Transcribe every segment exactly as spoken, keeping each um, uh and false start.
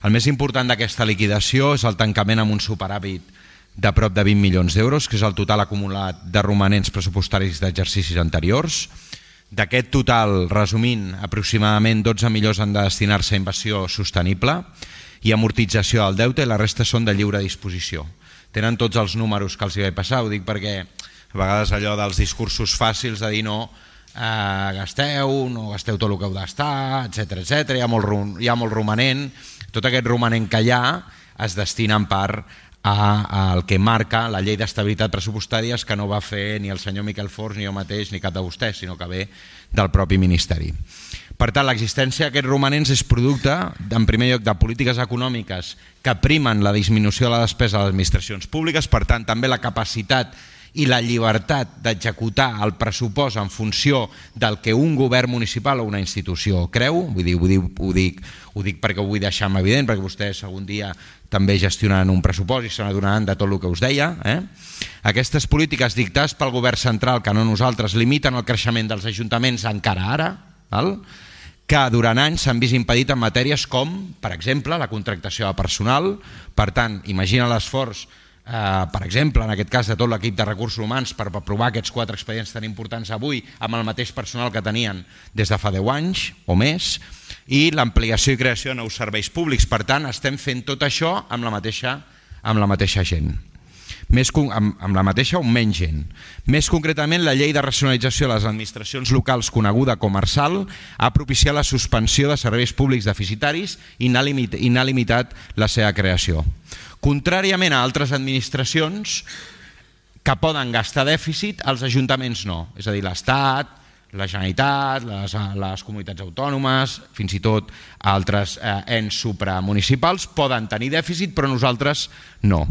El més important d'aquesta liquidació és el tancament amb un superàvit de prop de vint milions d'euros, que és el total acumulat de romanents pressupostaris d'exercicis anteriors. D'aquest total, resumint, aproximadament dotze milions han de destinar-se a inversió sostenible i amortització del deute, i la resta són de lliure disposició. Tenen tots els números que els hi vaig passar, ho dic perquè a vegades allò dels discursos fàcils de dir no, eh, gasteu, no gasteu tot el que heu de gastar, etcètera, etcètera, hi ha molt, hi ha molt romanent, tot aquest romanent que hi ha es destina en part al que marca la llei d'estabilitat pressupostària, que no va fer ni el senyor Miquel Forns ni jo mateix ni cap de vostès, sinó que ve del propi Ministeri. Per tant, l'existència d'aquests romanents és producte, en primer lloc, de polítiques econòmiques que primen la disminució de la despesa de les administracions públiques, per tant, també la capacitat i la llibertat d'executar el pressupost en funció del que un govern municipal o una institució creu. Vull dir, ho, dic, ho, dic, ho dic perquè ho vull deixar evident, perquè vostès algun dia també gestionaran un pressupost i se n'adonaran de tot el que us deia. Eh? Aquestes polítiques dictades pel govern central, que no nosaltres, limiten el creixement dels ajuntaments encara ara, val? Que durant anys s'han vist impedit en matèries com, per exemple, la contractació de personal. Per tant, imagina l'esforç, eh, per exemple, en aquest cas de tot l'equip de recursos humans per aprovar aquests quatre expedients tan importants avui amb el mateix personal que tenien des de fa deu anys o més, i l'ampliació i creació de nous serveis públics. Per tant, estem fent tot això amb la mateixa, amb la mateixa gent. Més, amb, amb la mateixa o menys gent. Més concretament, la llei de racionalització de les administracions locals, coneguda com ARSAL, ha propiciat la suspensió de serveis públics deficitaris i n'ha limitat, i n'ha limitat la seva creació. Contràriament a altres administracions que poden gastar dèficit, els ajuntaments no. És a dir, l'Estat, la Generalitat, les, les comunitats autònomes, fins i tot altres eh, ens supramunicipals poden tenir dèficit, però nosaltres no.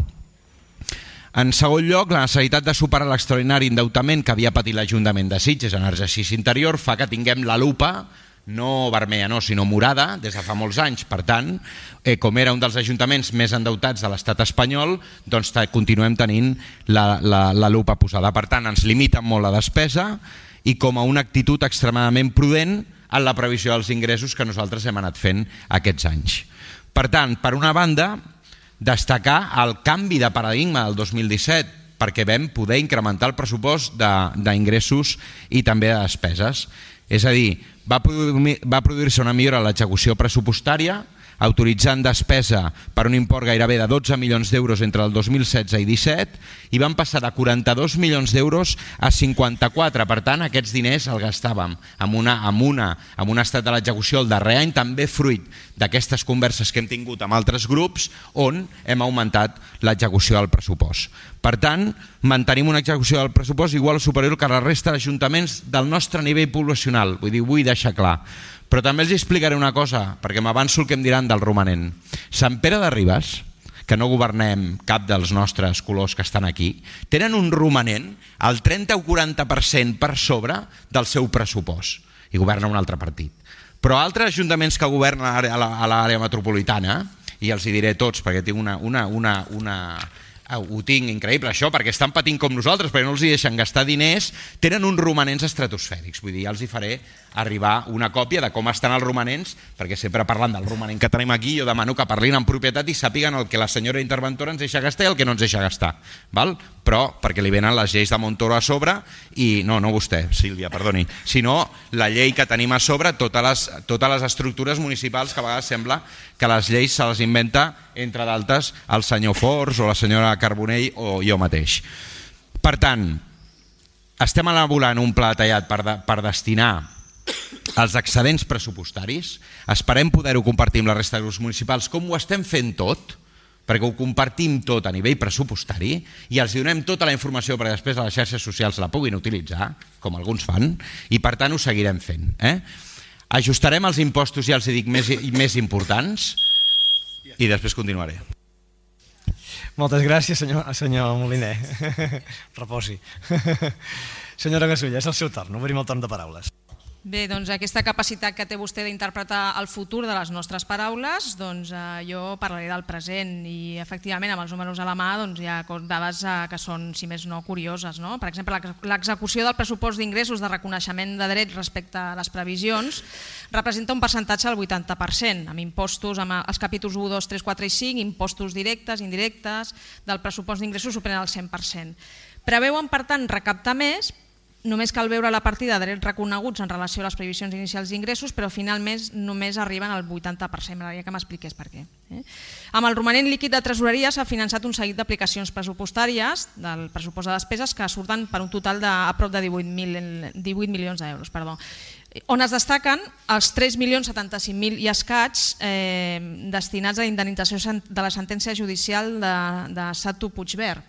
En segon lloc, la necessitat de superar l'extraordinari endeutament que havia patit l'Ajuntament de Sitges en exercici interior fa que tinguem la lupa, no vermella, no, sinó morada, des de fa molts anys. Per tant, eh, com era un dels ajuntaments més endeutats de l'estat espanyol, doncs continuem tenint la, la, la lupa posada. Per tant, ens limiten molt la despesa i com a una actitud extremadament prudent en la previsió dels ingressos que nosaltres hem anat fent aquests anys. Per tant, per una banda, destacar el canvi de paradigma del dos mil disset, perquè vam poder incrementar el pressupost d'ingressos i també de despeses. És a dir, va produir-se una millora en l'execució pressupostària, autoritzant despesa per un import gairebé de dotze milions d'euros entre el dos mil setze i disset, i van passar de quaranta-dos milions d'euros a cinquanta-quatre. Per tant, aquests diners els gastàvem amb, una, amb, una, amb un estat de l'execució el darrer any, també fruit d'aquestes converses que hem tingut amb altres grups, on hem augmentat l'execució del pressupost. Per tant, mantenim una execució del pressupost igual o superior que la resta d'ajuntaments del nostre nivell poblacional. Vull dir, vull deixar clar. Però també els explicaré una cosa, perquè m'avanço el que em diran del romanent. Sant Pere de Ribes, que no governem cap dels nostres colors que estan aquí, tenen un romanent al trenta o quaranta per cent per sobre del seu pressupost, i governa un altre partit. Però altres ajuntaments que governen a l'àrea metropolitana, i els hi diré tots perquè tinc una... una, una, una ho tinc increïble això, perquè estan patint com nosaltres, perquè no els hi deixen gastar diners, tenen uns romanents estratosfèrics. Vull dir, ja els hi faré arribar una còpia de com estan els romanents, perquè sempre parlant del romanent que tenim aquí, jo demano que parlin en propietat i sàpiguen el que la senyora interventora ens deixa gastar i el que no ens deixa gastar. Val? Però perquè li venen les lleis de Montoro a sobre i, no, no vostè, Sílvia, perdoni, sinó la llei que tenim a sobre, totes les, totes les estructures municipals que a vegades sembla que les lleis se les inventa, entre d'altres, el senyor Forns o la senyora Carbonell o jo mateix. Per tant, estem elaborant un pla detallat per, de, per destinar els excedents pressupostaris. Esperem poder-ho compartir amb la resta de grups municipals, com ho estem fent tot, perquè ho compartim tot a nivell pressupostari i els donem tota la informació perquè després a les xarxes socials la puguin utilitzar, com alguns fan, i per tant ho seguirem fent. Eh? Ajustarem els impostos, ja els dic, més, més importants i després continuaré. Moltes gràcies, senyor, senyor Moliner. Reposi. Senyora Gasulla, és el seu torn, obrim el torn de paraules. Bé, doncs aquesta capacitat que té vostè d'interpretar el futur de les nostres paraules, doncs eh, jo parlaré del present i efectivament amb els números a la mà doncs, hi ha dades eh, que són, si més no, curioses. No? Per exemple, l'execució del pressupost d'ingressos de reconeixement de drets respecte a les previsions representa un percentatge del vuitanta per cent, amb impostos, amb els capítols u, dos, tres, quatre i cinc, impostos directes, indirectes, del pressupost d'ingressos superen el cent per cent. Preveuen, per tant, recaptar més. Només cal veure la partida de drets reconeguts en relació a les previsions inicials d'ingressos, però finalment només arriben al vuitanta per cent. M'agradaria que m'expliqués per què. Eh? Amb el romanent líquid de tresoreria s'ha finançat un seguit d'aplicacions pressupostàries del pressupost de despeses que surten per un total de a prop de divuit milions d'euros. Perdó. On es destaquen els tres milions setanta-cinc mil i escaig eh, destinats a la indemnització de la sentència judicial de, de Satu Puigverd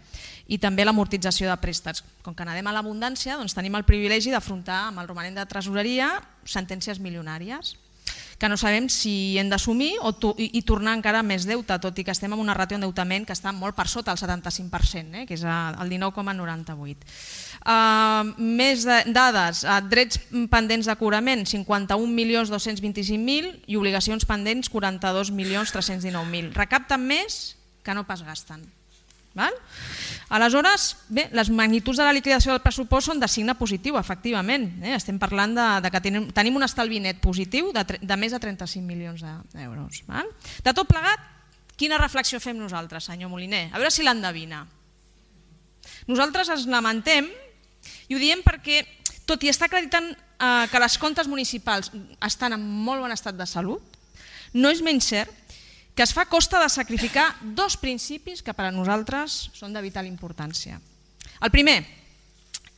i també l'amortització de préstecs. Com que anem a l'abundància, doncs tenim el privilegi d'afrontar amb el romanent de tresoreria sentències milionàries que no sabem si hem d'assumir o i, i tornar encara més deute, tot i que estem en una ràtio d'endeutament que està molt per sota el setanta-cinc per cent, eh, que és el dinou coma noranta-vuit. Uh, més de, dades, uh, drets pendents de cobrament cinquanta-un milions dos-cents vint-i-cinc mil i obligacions pendents quaranta-dos milions tres-cents dinou mil. Recapten més que no pas gasten. Val? Aleshores, bé, les magnituds de la liquidació del pressupost són de signe positiu, efectivament. Eh? Estem parlant de, de que tenim, tenim un estalvi net positiu de, de més de trenta-cinc milions d'euros. Val? De tot plegat, quina reflexió fem nosaltres, senyor Moliner? A veure si l'endevina. Nosaltres ens lamentem i ho diem perquè, tot i estar acreditant eh, que les comptes municipals estan en molt bon estat de salut, no és menys cert que es fa a costa de sacrificar dos principis que per a nosaltres són de vital importància. El primer,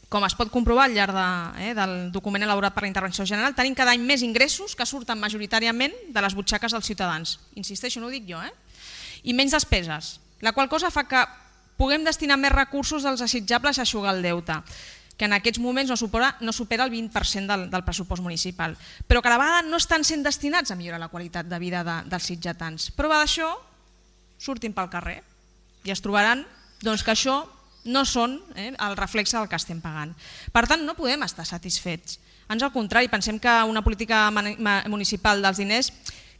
com es pot comprovar al llarg de, eh, del document elaborat per la Intervenció General, tenim cada any més ingressos que surten majoritàriament de les butxaques dels ciutadans. Insisteixo, no ho dic jo, eh? I menys despeses, la qual cosa fa que puguem destinar més recursos dels desitjables a eixugar el deute, que en aquests moments no supera, no supera el vint per cent del, del pressupost municipal, però que a la vegada no estan sent destinats a millorar la qualitat de vida de, dels sitgetans. Prova d'això, surtin pel carrer i es trobaran doncs, que això no són eh, el reflexe del que estem pagant. Per tant, no podem estar satisfets. Ans al contrari, pensem que una política municipal dels diners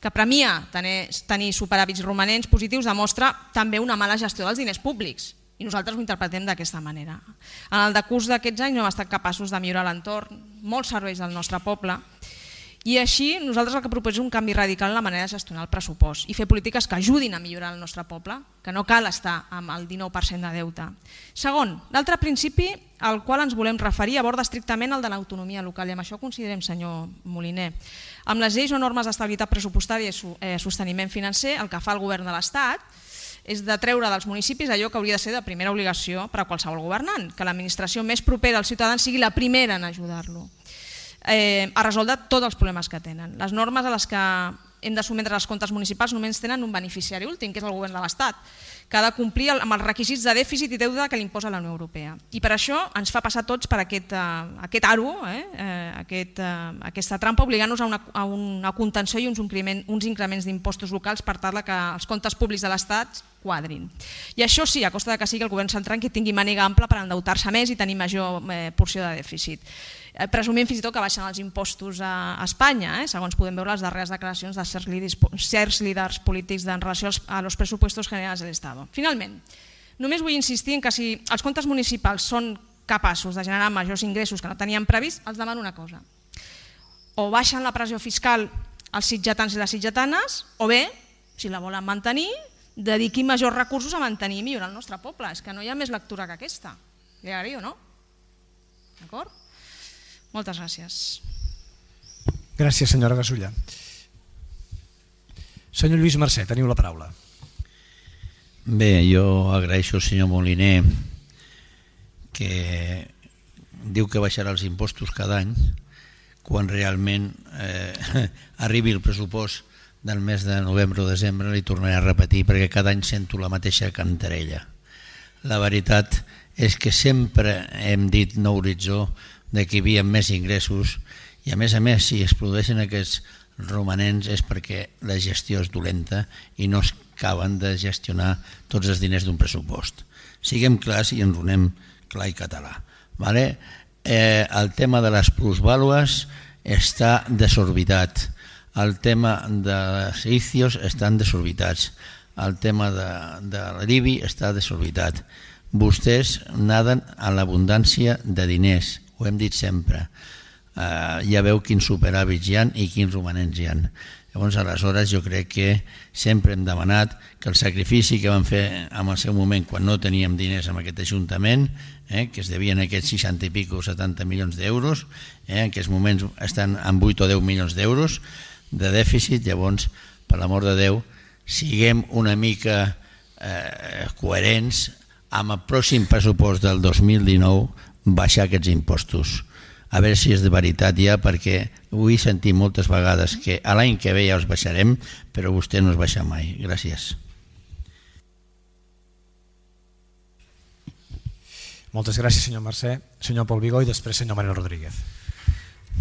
que premia tenir, tenir superàvits romanents positius demostra també una mala gestió dels diners públics. I nosaltres ho interpretem d'aquesta manera. En el decurs d'aquests anys no hem estat capaços de millorar l'entorn, molts serveis del nostre poble, i així nosaltres el que proposem és un canvi radical en la manera de gestionar el pressupost i fer polítiques que ajudin a millorar el nostre poble, que no cal estar amb el dinou per cent de deute. Segon, l'altre principi al qual ens volem referir aborda estrictament el de l'autonomia local, i amb això considerem, senyor Moliner. Amb les lleis o normes d'estabilitat pressupostària i sosteniment financer, el que fa el govern de l'Estat és de treure dels municipis allò que hauria de ser de primera obligació per a qualsevol governant, que l'administració més propera als ciutadans sigui la primera en ajudar-lo eh, a resoldre tots els problemes que tenen. Les normes a les que hem de sotmetre els comptes municipals només tenen un beneficiari últim, que és el govern de l'Estat, que ha de complir amb els requisits de dèficit i deute que li imposa la Unió Europea. I per això ens fa passar tots per aquest, uh, aquest aro, eh, aquest, uh, aquesta trampa, obligant-nos a, una, a una contenció i uns, increment, uns increments d'impostos locals per tal que els comptes públics de l'Estat quadrin. I això sí, a costa de que sigui el govern central que tingui màniga ampla per endeutar-se més i tenir major eh, porció de dèficit. Eh, presumim fins i tot que baixen els impostos a, a Espanya, eh, segons podem veure les darreres declaracions de certs líders, certs líders polítics en relació als, a los presupuestos generals de l'Estat. Finalment, només vull insistir en que si els comptes municipals són capaços de generar majors ingressos que no teníem previst, els demano una cosa. O baixen la pressió fiscal als sitgetans i les sitgetanes, o bé, si la volen mantenir, dediquin majors recursos a mantenir i millorar el nostre poble. És que no hi ha més lectura que aquesta. Li agradaria o no? D'acord? Moltes gràcies. Gràcies, senyora Gasulla. Senyor Lluís Mercè, teniu la paraula. Bé, jo agraeixo al senyor Moliner que diu que baixarà els impostos cada any quan realment eh, arribi el pressupost del mes de novembre o desembre, li tornaré a repetir perquè cada any sento la mateixa cantarella. La veritat és que sempre hem dit no horitzó de que hi havia més ingressos i a més a més si es produeixen aquests romanents és perquè la gestió és dolenta i no es acaben de gestionar tots els diners d'un pressupost. Siguem clars i ens donem clar i català. Vale? Eh, el tema de les plusvàlues està desorbitat. El tema dels I C I Os estan desorbitats. El tema de, de l'I B I està desorbitat. Vostès naden a l'abundància de diners, ho hem dit sempre. Uh, ja veu quins superàvits hi ha i quins romanents hi ha. Llavors, aleshores, jo crec que sempre hem demanat que el sacrifici que vam fer en el seu moment quan no teníem diners en aquest Ajuntament, eh, que es devien aquests seixanta i pico, setanta milions d'euros, eh, en aquests moments estan en vuit o deu milions d'euros de dèficit. Llavors, per l'amor de Déu, siguem una mica eh, coherents amb el pròxim pressupost del dos mil dinou baixar aquests impostos. A veure si és de veritat ja, perquè vull sentir moltes vegades que a l'any que ve ja els baixarem, però vostè no els baixa mai. Gràcies. Moltes gràcies, senyor Mercè. Senyor Pol Vigó i després senyor Manuel Rodríguez.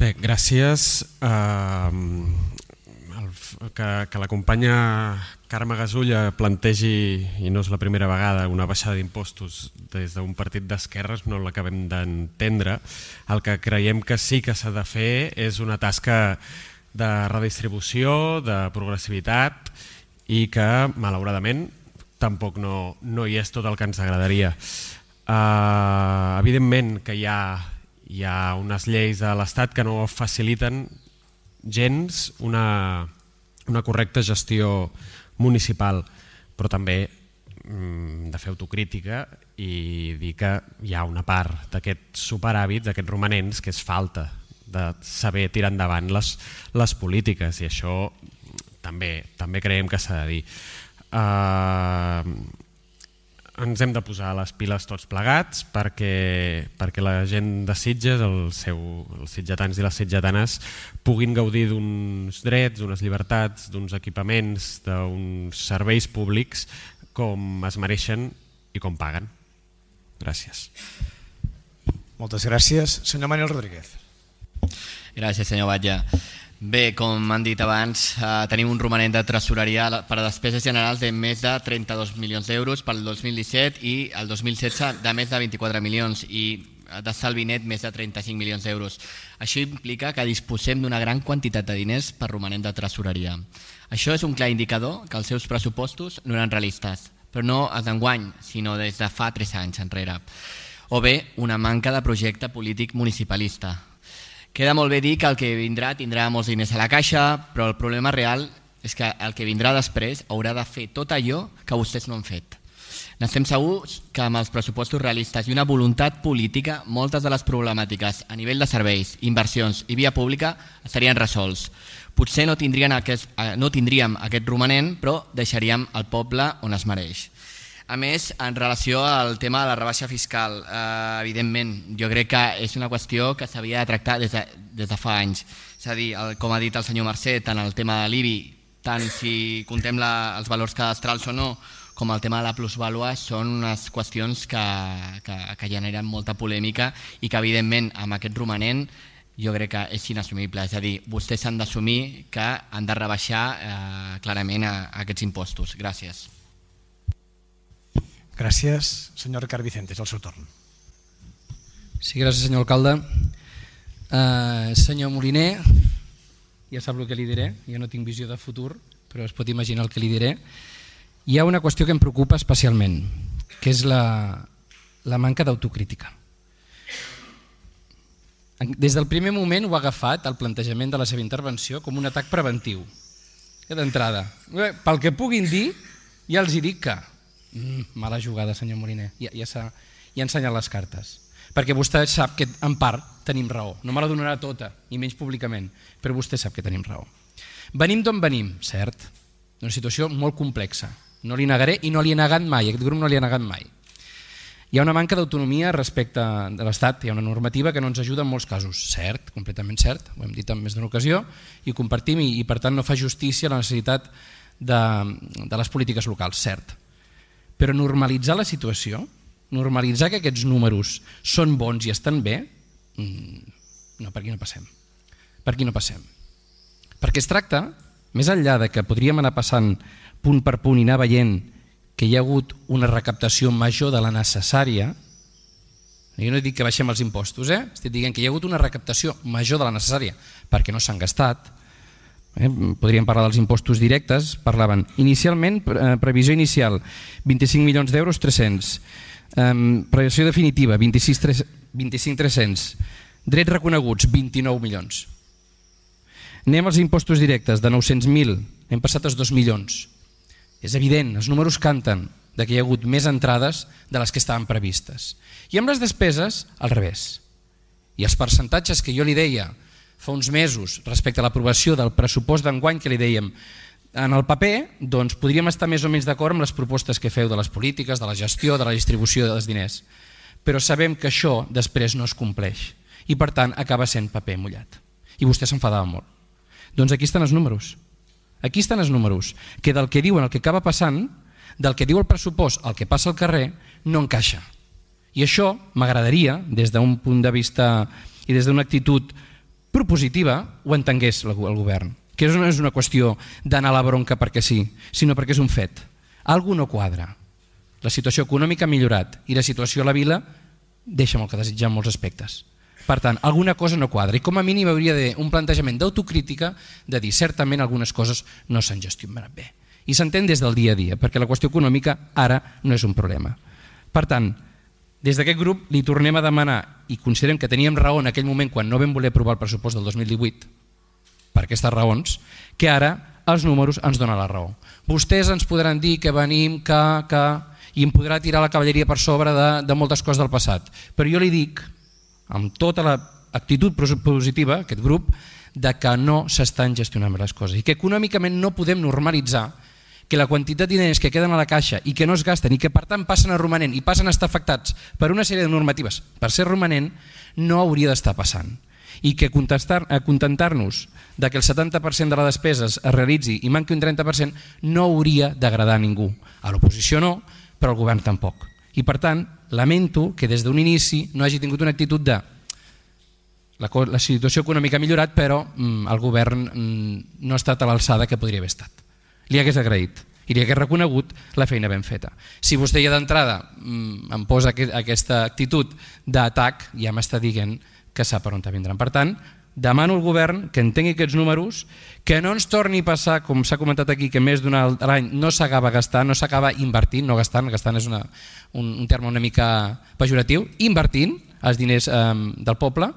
Bé, gràcies. Uh, que, que la companya Carme Gasulla plantegi, i no és la primera vegada, una baixada d'impostos des d'un partit d'esquerres, no l'acabem d'entendre. El que creiem que sí que s'ha de fer és una tasca de redistribució, de progressivitat, i que, malauradament, tampoc no, no hi és tot el que ens agradaria. Uh, evidentment que hi ha, hi ha unes lleis de l'Estat que no faciliten gens una, una correcta gestió municipal, però també mm, de fer autocrítica i dir que hi ha una part d'aquests superàvits, d'aquests romanents, que és falta de saber tirar endavant les, les polítiques, i això també, també creiem que s'ha de dir. Uh, ens hem de posar les piles tots plegats perquè, perquè la gent de Sitges, el seu, els sitgetans i les sitgetanes, puguin gaudir d'uns drets, d'unes llibertats, d'uns equipaments, d'uns serveis públics com es mereixen i com paguen. Gràcies. Moltes gràcies. Senyor Manuel Rodríguez. Gràcies, senyor Batlle. Bé, com han dit abans, eh, tenim un romanent de tresoreria per a despeses generals de més de trenta-dos milions d'euros pel dos mil disset i el dos mil setze de més de vint-i-quatre milions i d'estalvi net més de trenta-cinc milions d'euros. Això implica que disposem d'una gran quantitat de diners per romanent de tresoreria. Això és un clar indicador que els seus pressupostos no eren realistes, però no els d'enguany, sinó des de fa tres anys enrere. O bé, una manca de projecte polític municipalista. Queda molt bé dir que el que vindrà tindrà molts diners a la caixa, però el problema real és que el que vindrà després haurà de fer tot allò que vostès no han fet. N'estem segurs que amb els pressupostos realistes i una voluntat política, moltes de les problemàtiques a nivell de serveis, inversions i via pública estarien resolts. Potser no, tindrien aquest, no tindríem aquest romanent, però deixaríem el poble on es mereix. A més, en relació al tema de la rebaixa fiscal, eh, evidentment, jo crec que és una qüestió que s'havia de tractar des de, des de fa anys. És a dir, el, com ha dit el senyor Mercè, tant el tema de l'I B I, tant si contem la, els valors cadastrals o no, com el tema de la plusvàlua, són unes qüestions que, que, que generen molta polèmica i que, evidentment, amb aquest romanent jo crec que és inassumible. És a dir, vostès han d'assumir que han de rebaixar eh, clarament a, a aquests impostos. Gràcies. Gràcies. Senyor Ricard Vicente, és el seu torn. Sí, gràcies, senyor alcalde. Uh, senyor Moliner, ja sap el que li diré, jo no tinc visió de futur, però es pot imaginar el que li diré. Hi ha una qüestió que em preocupa especialment, que és la, la manca d'autocrítica. Des del primer moment ho ha agafat, el plantejament de la seva intervenció, com un atac preventiu. D'entrada, pel que puguin dir, ja els hi dic que Mm, mala jugada, senyor Moliner, ja, ja, ja ha ensenyat les cartes, perquè vostè sap que en part tenim raó, no me la donarà tota, ni menys públicament, però vostè sap que tenim raó. Venim d'on venim, cert, una situació molt complexa, no li negaré i no li he negat mai, aquest grup no li ha negat mai. Hi ha una manca d'autonomia respecte de l'Estat, hi ha una normativa que no ens ajuda en molts casos, cert, completament cert, ho hem dit en més d'una ocasió, i ho compartim i, i per tant no fa justícia a la necessitat de, de les polítiques locals, cert. Però normalitzar la situació, normalitzar que aquests números són bons i estan bé, no, per aquí no passem. Per aquí no passem. Perquè es tracta, més enllà de que podríem anar passant punt per punt i anar veient que hi ha hagut una recaptació major de la necessària, Jo no dic que baixem els impostos, eh? Estic dient que hi ha hagut una recaptació major de la necessària perquè no s'han gastat. Eh? Podríem parlar dels impostos directes, parlaven inicialment, eh, previsió inicial vint-i-cinc milions d'euros, tres-cents, eh, previsió definitiva vint-i-cinc mil tres-cents, drets reconeguts vint-i-nou milions. Anem als impostos directes, de nou-cents mil hem passat als dos milions. És evident, els números canten de que hi ha hagut més entrades de les que estaven previstes. I amb les despeses, al revés. I els percentatges que jo li deia fa uns mesos respecte a l'aprovació del pressupost d'enguany, que li dèiem en el paper, doncs podríem estar més o menys d'acord amb les propostes que feu de les polítiques, de la gestió, de la distribució dels diners. Però sabem que això després no es compleix i per tant acaba sent paper mullat. I vostè s'enfadava molt. Doncs aquí estan els números. Aquí estan els números, que del que diuen el que acaba passant, del que diu el pressupost al que passa al carrer, no encaixa. I això m'agradaria, des d'un punt de vista i des d'una actitud propositiva, ho entengués el govern. Que no és una qüestió d'anar a la bronca perquè sí, sinó perquè és un fet. Algú no quadra. La situació econòmica ha millorat i la situació a la vila deixa molt que desitjar en molts aspectes. Per tant, alguna cosa no quadra i com a mínim hauria d'haver un plantejament d'autocrítica de dir certament algunes coses no s'han gestionat bé. I s'entén des del dia a dia, perquè la qüestió econòmica ara no és un problema. Per tant, des d'aquest grup li tornem a demanar, i considerem que teníem raó en aquell moment quan no vam voler aprovar el pressupost del dos mil divuit, per aquestes raons, que ara els números ens donen la raó. Vostès ens podran dir que venim, que, que, i em podrà tirar la cavalleria per sobre de, de moltes coses del passat, però jo li dic, amb tota l'actitud positiva, aquest grup, de que no s'estan gestionant les coses i que econòmicament no podem normalitzar que la quantitat de diners que queden a la caixa i que no es gasten i que per tant passen a romanent i passen a estar afectats per una sèrie de normatives per ser romanent, no hauria d'estar passant. I que contentar-nos de que el setanta per cent de la despesa es realitzi i manqui un trenta per cent no hauria d'agradar a ningú. A l'oposició no, però al govern tampoc. I per tant, lamento que des d'un inici no hagi tingut una actitud de la, la situació econòmica ha millorat, però mm, el govern mm, no ha estat a l'alçada que podria haver estat. Li hagués agraït i li hagués reconegut la feina ben feta. Si vostè ja d'entrada mm, em posa aquest, aquesta actitud d'atac, ja m'està dient que sap per on vindran. Per tant, demano al govern que entengui aquests números, que no ens torni a passar, com s'ha comentat aquí, que més d'un any no s'acaba gastant, no s'acaba invertint, no gastant, gastant és una, un, un terme una mica pejoratiu, invertint els diners eh, del poble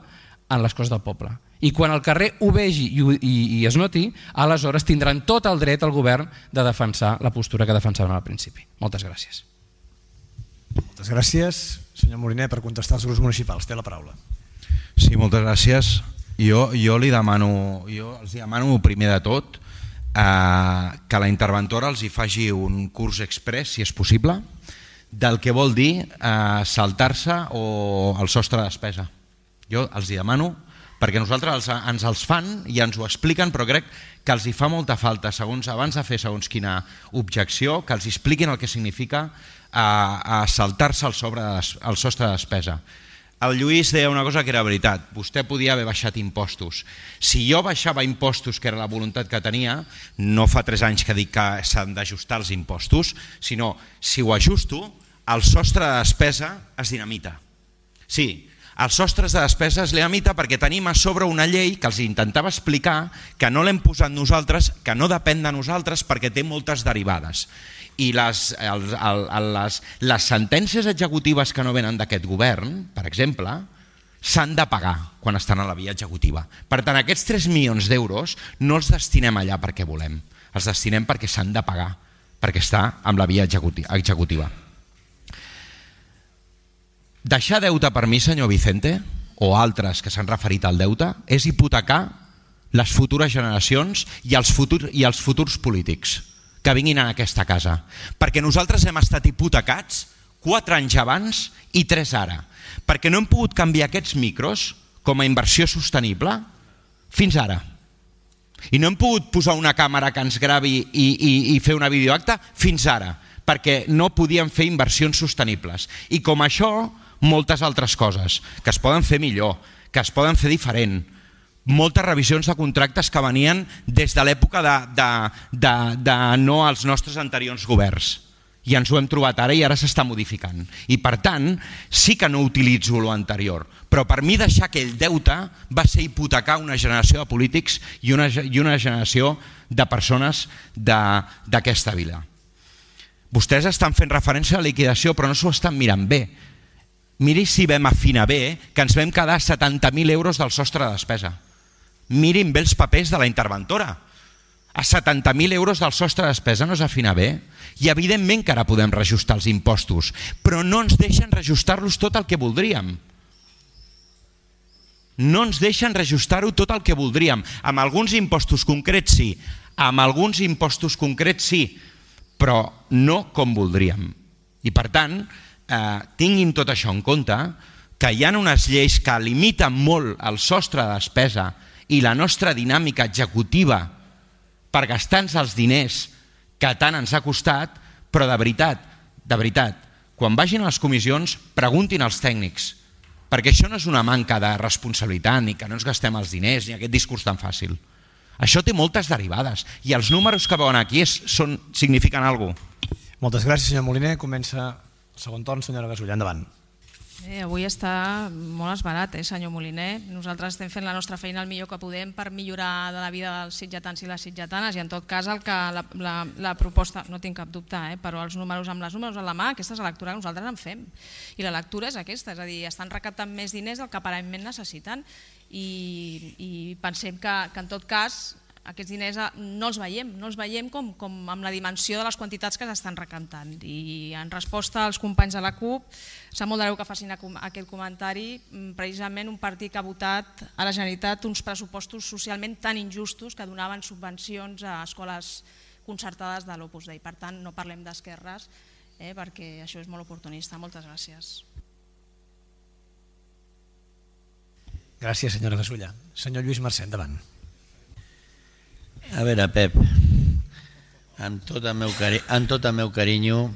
en les coses del poble. I quan el carrer ho vegi i, i, i es noti, aleshores tindran tot el dret al govern de defensar la postura que defensaven al principi. Moltes gràcies. Moltes gràcies, senyor Moliner, per contestar als grups municipals. Té la paraula. Sí, moltes gràcies. Jo, jo li demano, jo els demano primer de tot eh, que la interventora els hi faci un curs express, si és possible, del que vol dir eh, saltar-se o el sostre de despesa. Jo els hi demano, perquè nosaltres els, ens els fan i ens ho expliquen, però crec que els hi fa molta falta, segons abans de fer segons quina objecció, que els expliquin el que significa eh, eh, saltar-se el, sobre de, el sostre de despesa. El Lluís deia una cosa que era veritat, vostè podia haver baixat impostos. Si jo baixava impostos, que era la voluntat que tenia, no fa tres anys que dic que s'han d'ajustar els impostos, sinó si ho ajusto, el sostre de despesa es dinamita. Sí, els sostres de despesa es dinamita perquè tenim a sobre una llei que els intentava explicar que no l'hem posat nosaltres, que no depèn de nosaltres perquè té moltes derivades. I les, el, el, les, les sentències executives que no venen d'aquest govern, per exemple, s'han de pagar quan estan a la via executiva. Per tant, aquests tres milions d'euros no els destinem allà perquè volem, els destinem perquè s'han de pagar, perquè està amb la via executiva. Deixar deute per mi, senyor Vicente, o altres que s'han referit al deute, és hipotecar les futures generacions i els futurs, i els futurs polítics que vinguin a aquesta casa. Perquè nosaltres hem estat hipotecats quatre anys abans i tres ara. Perquè no hem pogut canviar aquests micros com a inversió sostenible fins ara. I no hem pogut posar una càmera que ens gravi i, i, i fer una videoacta fins ara, perquè no podíem fer inversions sostenibles. I com això, moltes altres coses que es poden fer millor, que es poden fer diferent. Moltes revisions de contractes que venien des de l'època de, de, de, de no als nostres anteriors governs I ens ho hem trobat ara i ara s'està modificant. I per tant, sí que no utilitzo lo anterior, però per mi deixar aquell deute va ser hipotecar una generació de polítics i una, i una generació de persones d'aquesta vila. Vostès estan fent referència a la liquidació, però no s'ho estan mirant bé. Miri si vam afinar bé que ens vam quedar setanta mil euros del sostre de despesa. Mirin bé els papers de la interventora. A setanta mil euros del sostre de despesa no s'afina bé i evidentment que ara podem reajustar els impostos, però no ens deixen reajustar-los tot el que voldríem. No ens deixen reajustar-ho tot el que voldríem. Amb alguns impostos concrets sí, amb alguns impostos concrets sí, però no com voldríem. I per tant, eh, tinguin tot això en compte, que hi ha unes lleis que limiten molt el sostre de despesa i la nostra dinàmica executiva per gastar-nos els diners que tant ens ha costat, però de veritat, de veritat, quan vagin a les comissions preguntin als tècnics, perquè això no és una manca de responsabilitat ni que no ens gastem els diners ni aquest discurs tan fàcil. Això té moltes derivades i els números que veuen aquí és, són, signifiquen alguna cosa. Moltes gràcies, senyor Moliner. Comença el segon torn, senyora Gasulla. Endavant. Eh, avui està molt esbarat, eh, senyor Moliner. Nosaltres estem fent la nostra feina el millor que podem per millorar de la vida dels sitgetans i les sitgetanes i en tot cas el que la, la, la proposta, no tinc cap dubte, eh, però els números amb les números a la mà, aquesta és la lectura que nosaltres en fem. I la lectura és aquesta, és a dir, estan recaptant més diners del que aparentment necessiten i, i pensem que, que en tot cas aquests diners no els veiem, no els veiem com, com amb la dimensió de les quantitats que s'estan recaptant. I en resposta als companys de la CUP, sap molt de greu que facin aquest comentari, precisament un partit que ha votat a la Generalitat uns pressupostos socialment tan injustos que donaven subvencions a escoles concertades de l'Opus Dei. Per tant, no parlem d'esquerres, eh, perquè això és molt oportunista. Moltes gràcies. Gràcies, senyora Gasulla. Senyor Lluís Mercè, endavant. A veure, Pep, amb tot el meu, cari amb tot el meu carinyo,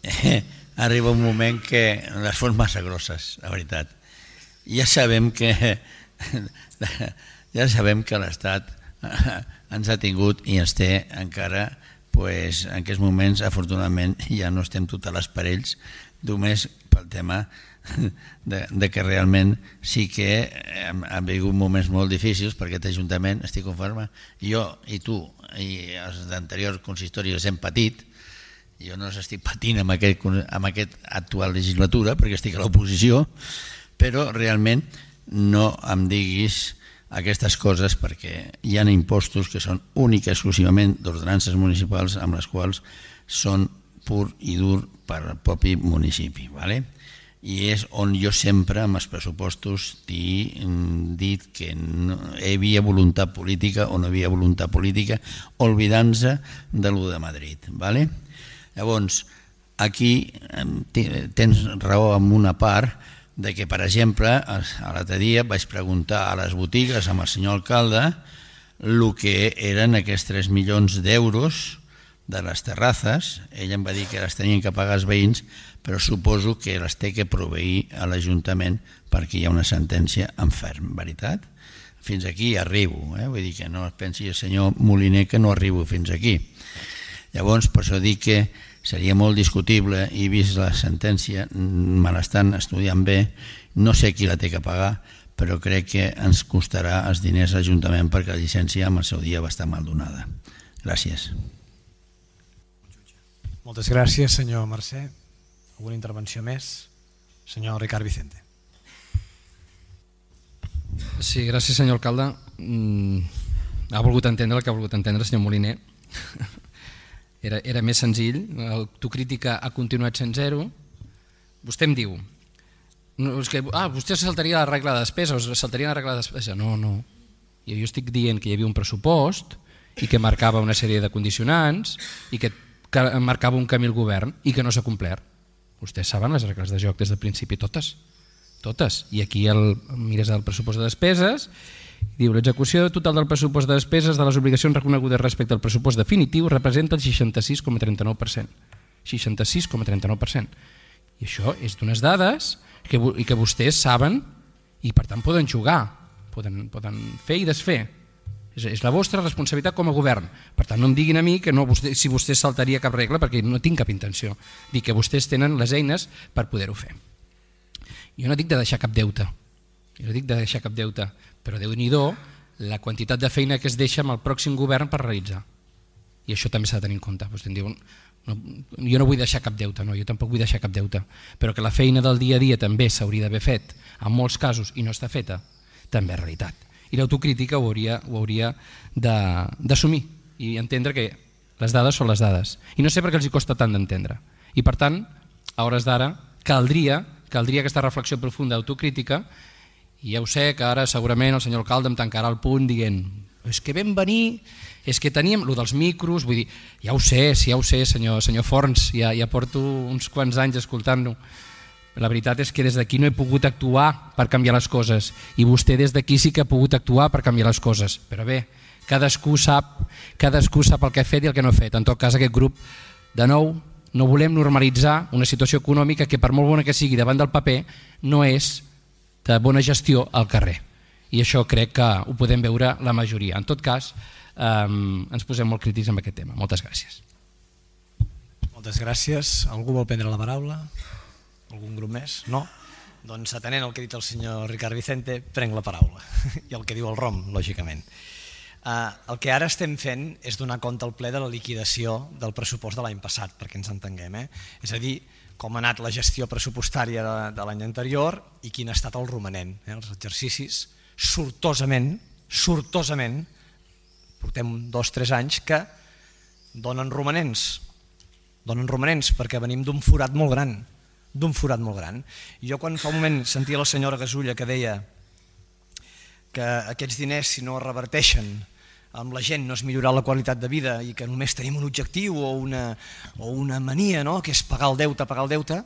eh, arriba un moment que les fos massa grosses, la veritat. Ja sabem que ja sabem que l'Estat ens ha tingut i ens té encara, pues, en aquests moments, afortunadament, ja no estem tots a les parells, només pel tema De, de que realment sí que han, han vingut moments molt difícils per aquest Ajuntament, estic conforme, jo i tu i els d'anteriors consistoris hem patit, jo no estic patint amb aquest, amb aquest actual legislatura perquè estic a l'oposició, però realment no em diguis aquestes coses perquè hi ha impostos que són únics exclusivament d'ordenances municipals amb les quals són pur i dur per al propi municipi, ¿vale? I és on jo sempre amb els pressupostos he dit que no hi havia voluntat política o no hi havia voluntat política, oblidant-se de lo de Madrid. ¿Vale? Llavors, aquí tens raó en una part de que, per exemple, l'altre dia vaig preguntar a les botigues amb el senyor alcalde el que eren aquests tres milions d'euros de les terrazes. Ell em va dir que les tenien que pagar els veïns, però suposo que les té que proveir a l'Ajuntament perquè hi ha una sentència en ferm, veritat? Fins aquí arribo, eh? Vull dir que no es pensi el senyor Moliner que no arribo fins aquí. Llavors, per això dic que seria molt discutible i vist la sentència, me l'estan estudiant bé, no sé qui la té que pagar, però crec que ens costarà els diners a l'Ajuntament perquè la llicència en el seu dia va estar mal donada. Gràcies. Moltes gràcies, senyor Mercè. Alguna intervenció més? Senyor Ricard Vicente. Sí, gràcies, senyor alcalde. Mm, ha volgut entendre el que ha volgut entendre el senyor Moliner. Era, era més senzill. L'autocrítica ha continuat sent zero. Vostè em diu no, és que, ah, vostè saltaria la regla de despesa o saltaria la regla de despesa. No, no. Jo, jo estic dient que hi havia un pressupost i que marcava una sèrie de condicionants i que, que marcava un camí al govern i que no s'ha complert. Vostès saben les regles de joc des del principi, totes. Totes. I aquí el, mires el pressupost de despeses, diu l'execució total del pressupost de despeses de les obligacions reconegudes respecte al pressupost definitiu representa el seixanta-sis coma trenta-nou per cent. seixanta-sis coma trenta-nou per cent. I això és d'unes dades que, i que vostès saben i per tant poden jugar, poden, poden fer i desfer. És la vostra responsabilitat com a govern. Per tant, no em diguin a mi que no, vostè, si vostè saltaria cap regla, perquè no tinc cap intenció. Dic que vostès tenen les eines per poder-ho fer. Jo no dic de deixar cap deute, jo no dic de deixar cap deute, però Déu-n'hi-do la quantitat de feina que es deixa amb el pròxim govern per realitzar. I això també s'ha de tenir en compte. Vostè em diu, no, jo no vull deixar cap deute, no, jo tampoc vull deixar cap deute, però que la feina del dia a dia també s'hauria d'haver fet, en molts casos, i no està feta, també és realitat. I l'autocrítica ho hauria, ho hauria d'assumir i entendre que les dades són les dades. I no sé per què els hi costa tant d'entendre. I per tant, a hores d'ara, caldria, caldria aquesta reflexió profunda d'autocrítica, i ja ho sé que ara segurament el senyor alcalde em tancarà el punt dient és que vam venir, és que teníem el dels micros, vull dir, ja ho sé, sí, ja ho sé, senyor, senyor Forns, ja, ja porto uns quants anys escoltant-lo. La veritat és que des d'aquí no he pogut actuar per canviar les coses i vostè des d'aquí sí que ha pogut actuar per canviar les coses, però bé, cadascú sap, cadascú sap el que ha fet i el que no ha fet. En tot cas, aquest grup, de nou, no volem normalitzar una situació econòmica que per molt bona que sigui davant del paper no és de bona gestió al carrer, i això crec que ho podem veure la majoria. En tot cas, eh, ens posem molt crítics amb aquest tema. Moltes gràcies. Moltes gràcies. Algú vol prendre la paraula? Algun grup més? No? Doncs atenent el que ha dit el senyor Ricard Vicente, prenc la paraula. I el que diu el Rom, lògicament. Uh, el que ara estem fent és donar compte al ple de la liquidació del pressupost de l'any passat, perquè ens entenguem. Eh? És a dir, com ha anat la gestió pressupostària de, de l'any anterior i quin ha estat el romanent. Eh? Els exercicis, sortosament, sortosament, portem dos o tres anys que donen romanents. Donen romanents perquè venim d'un forat molt gran, d'un forat molt gran. I jo quan fa un moment sentia la senyora Gasulla que deia que aquests diners, si no es reverteixen amb la gent, no és millorar la qualitat de vida i que només tenim un objectiu o una, o una mania, no? Que és pagar el deute, pagar el deute,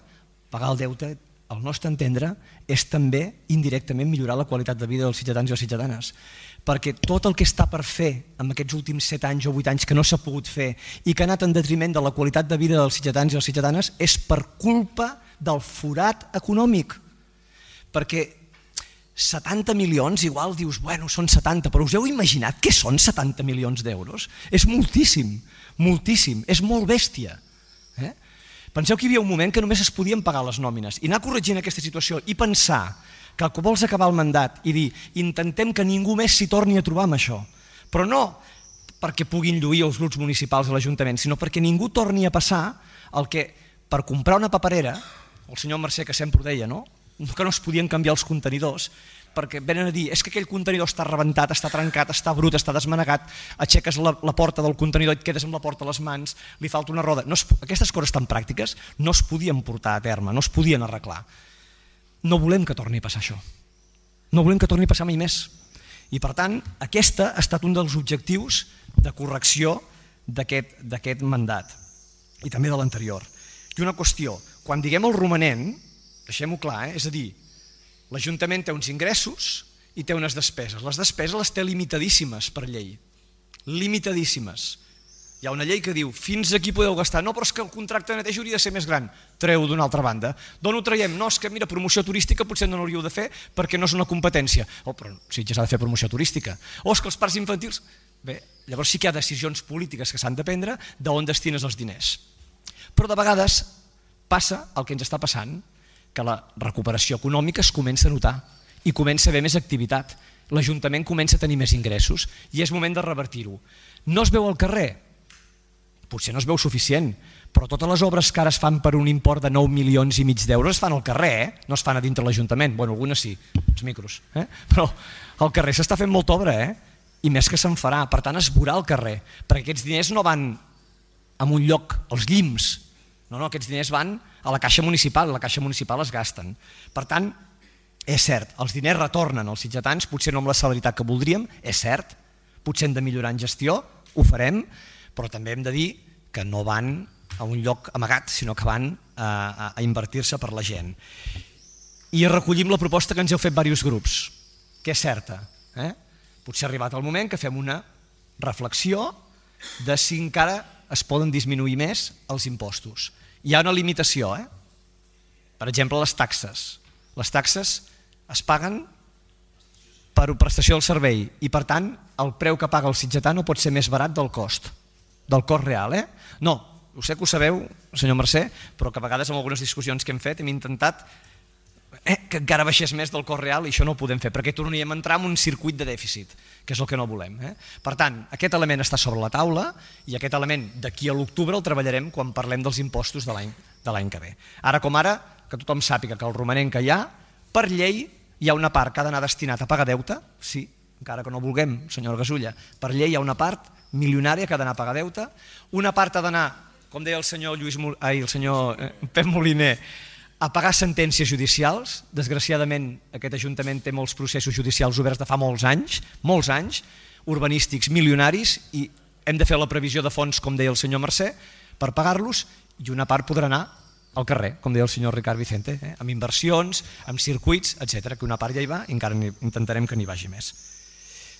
pagar el deute, al nostre entendre, és també indirectament millorar la qualitat de vida dels ciutadans i les ciutadanes. Perquè tot el que està per fer en aquests últims set anys o vuit anys que no s'ha pogut fer i que ha anat en detriment de la qualitat de vida dels ciutadans i les ciutadanes és per culpa del forat econòmic. Perquè setanta milions, igual dius, bueno, són setanta, però us heu imaginat què són setanta milions d'euros? És moltíssim, moltíssim, és molt bèstia. Eh? Penseu que hi havia un moment que només es podien pagar les nòmines i anar corregint aquesta situació i pensar que quan vols acabar el mandat i dir intentem que ningú més s'hi torni a trobar amb això, però no perquè puguin lluir els grups municipals a l'Ajuntament, sinó perquè ningú torni a passar el que per comprar una paperera, el senyor Mercè que sempre ho deia, no? que no es podien canviar els contenidors perquè venen a dir, és que aquell contenidor està rebentat, està trencat, està brut, està desmanegat, aixeques la, la porta del contenidor i et quedes amb la porta a les mans, li falta una roda. No es, aquestes coses tan pràctiques no es podien portar a terme, no es podien arreglar. No volem que torni a passar això. No volem que torni a passar mai més. I per tant, aquesta ha estat un dels objectius de correcció d'aquest d'aquest mandat i també de l'anterior. I una qüestió, quan diguem el romanent, deixem-ho clar, eh? És a dir, l'Ajuntament té uns ingressos i té unes despeses. Les despeses les té limitadíssimes per llei, limitadíssimes. Hi ha una llei que diu, fins aquí podeu gastar, no, però és que el contracte de neteja hauria de ser més gran, treu d'una altra banda. D'on ho traiem? No, és que mira, promoció turística potser no l'hauríeu de fer perquè no és una competència. Oh, però sí, ja s'ha de fer promoció turística. O és que els parcs infantils... Bé, llavors sí que hi ha decisions polítiques que s'han de prendre d'on destines els diners. Però de vegades passa el que ens està passant, que la recuperació econòmica es comença a notar i comença a haver més activitat. L'Ajuntament comença a tenir més ingressos i és moment de revertir-ho. No es veu al carrer? Potser no es veu suficient, però totes les obres que ara es fan per un import de nou milions i mig d'euros es fan al carrer, eh? No es fan a dintre l'Ajuntament. Bueno, algunes sí, els micros. Eh? Però al carrer s'està fent molta obra, eh? I més que se'n farà. Per tant, es veurà al carrer, perquè aquests diners no van a un lloc, als llims. No, no, aquests diners van a la caixa municipal, la caixa municipal es gasten. Per tant, és cert, els diners retornen als ciutadans, potser no amb la celeritat que voldríem, és cert, potser hem de millorar en gestió, ho farem, però també hem de dir que no van a un lloc amagat, sinó que van a, a, a invertir-se per la gent. I recollim la proposta que ens heu fet diversos grups, que és certa. Eh? Potser ha arribat el moment que fem una reflexió de si encara es poden disminuir més els impostos. Hi ha una limitació, eh? Per exemple, les taxes. Les taxes es paguen per prestació del servei i per tant el preu que paga el sitgetà no pot ser més barat del cost, del cost real. Eh? No, ho sé que ho sabeu, senyor Mercè, però que a vegades en algunes discussions que hem fet hem intentat eh, que encara baixés més del cost real i això no ho podem fer perquè tornaríem a entrar en un circuit de dèficit, que és el que no volem. Eh? Per tant, aquest element està sobre la taula i aquest element d'aquí a l'octubre el treballarem quan parlem dels impostos de l'any de l'any que ve. Ara com ara, que tothom sàpiga que el romanent que hi ha, per llei hi ha una part que ha d'anar destinat a pagar deute, sí, encara que no vulguem, senyora Gasulla, per llei hi ha una part milionària que ha d'anar a pagar deute, una part ha d'anar, com deia el senyor, Lluís, ai, el senyor Pep Moliner, a pagar sentències judicials. Desgraciadament aquest Ajuntament té molts processos judicials oberts de fa molts anys, molts anys, urbanístics milionaris, i hem de fer la previsió de fons, com deia el senyor Mercè, per pagar-los, i una part podrà anar al carrer, com deia el senyor Ricard Vicente, eh? amb inversions, amb circuits, etcètera, que una part ja hi va i encara intentarem que n'hi vagi més.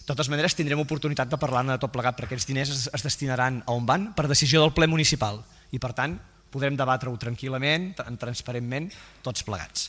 De totes maneres, tindrem oportunitat de parlar-ne de tot plegat, perquè aquests diners es, es destinaran a on van per decisió del ple municipal i, per tant, podrem debatre-ho tranquil·lament, transparentment, tots plegats.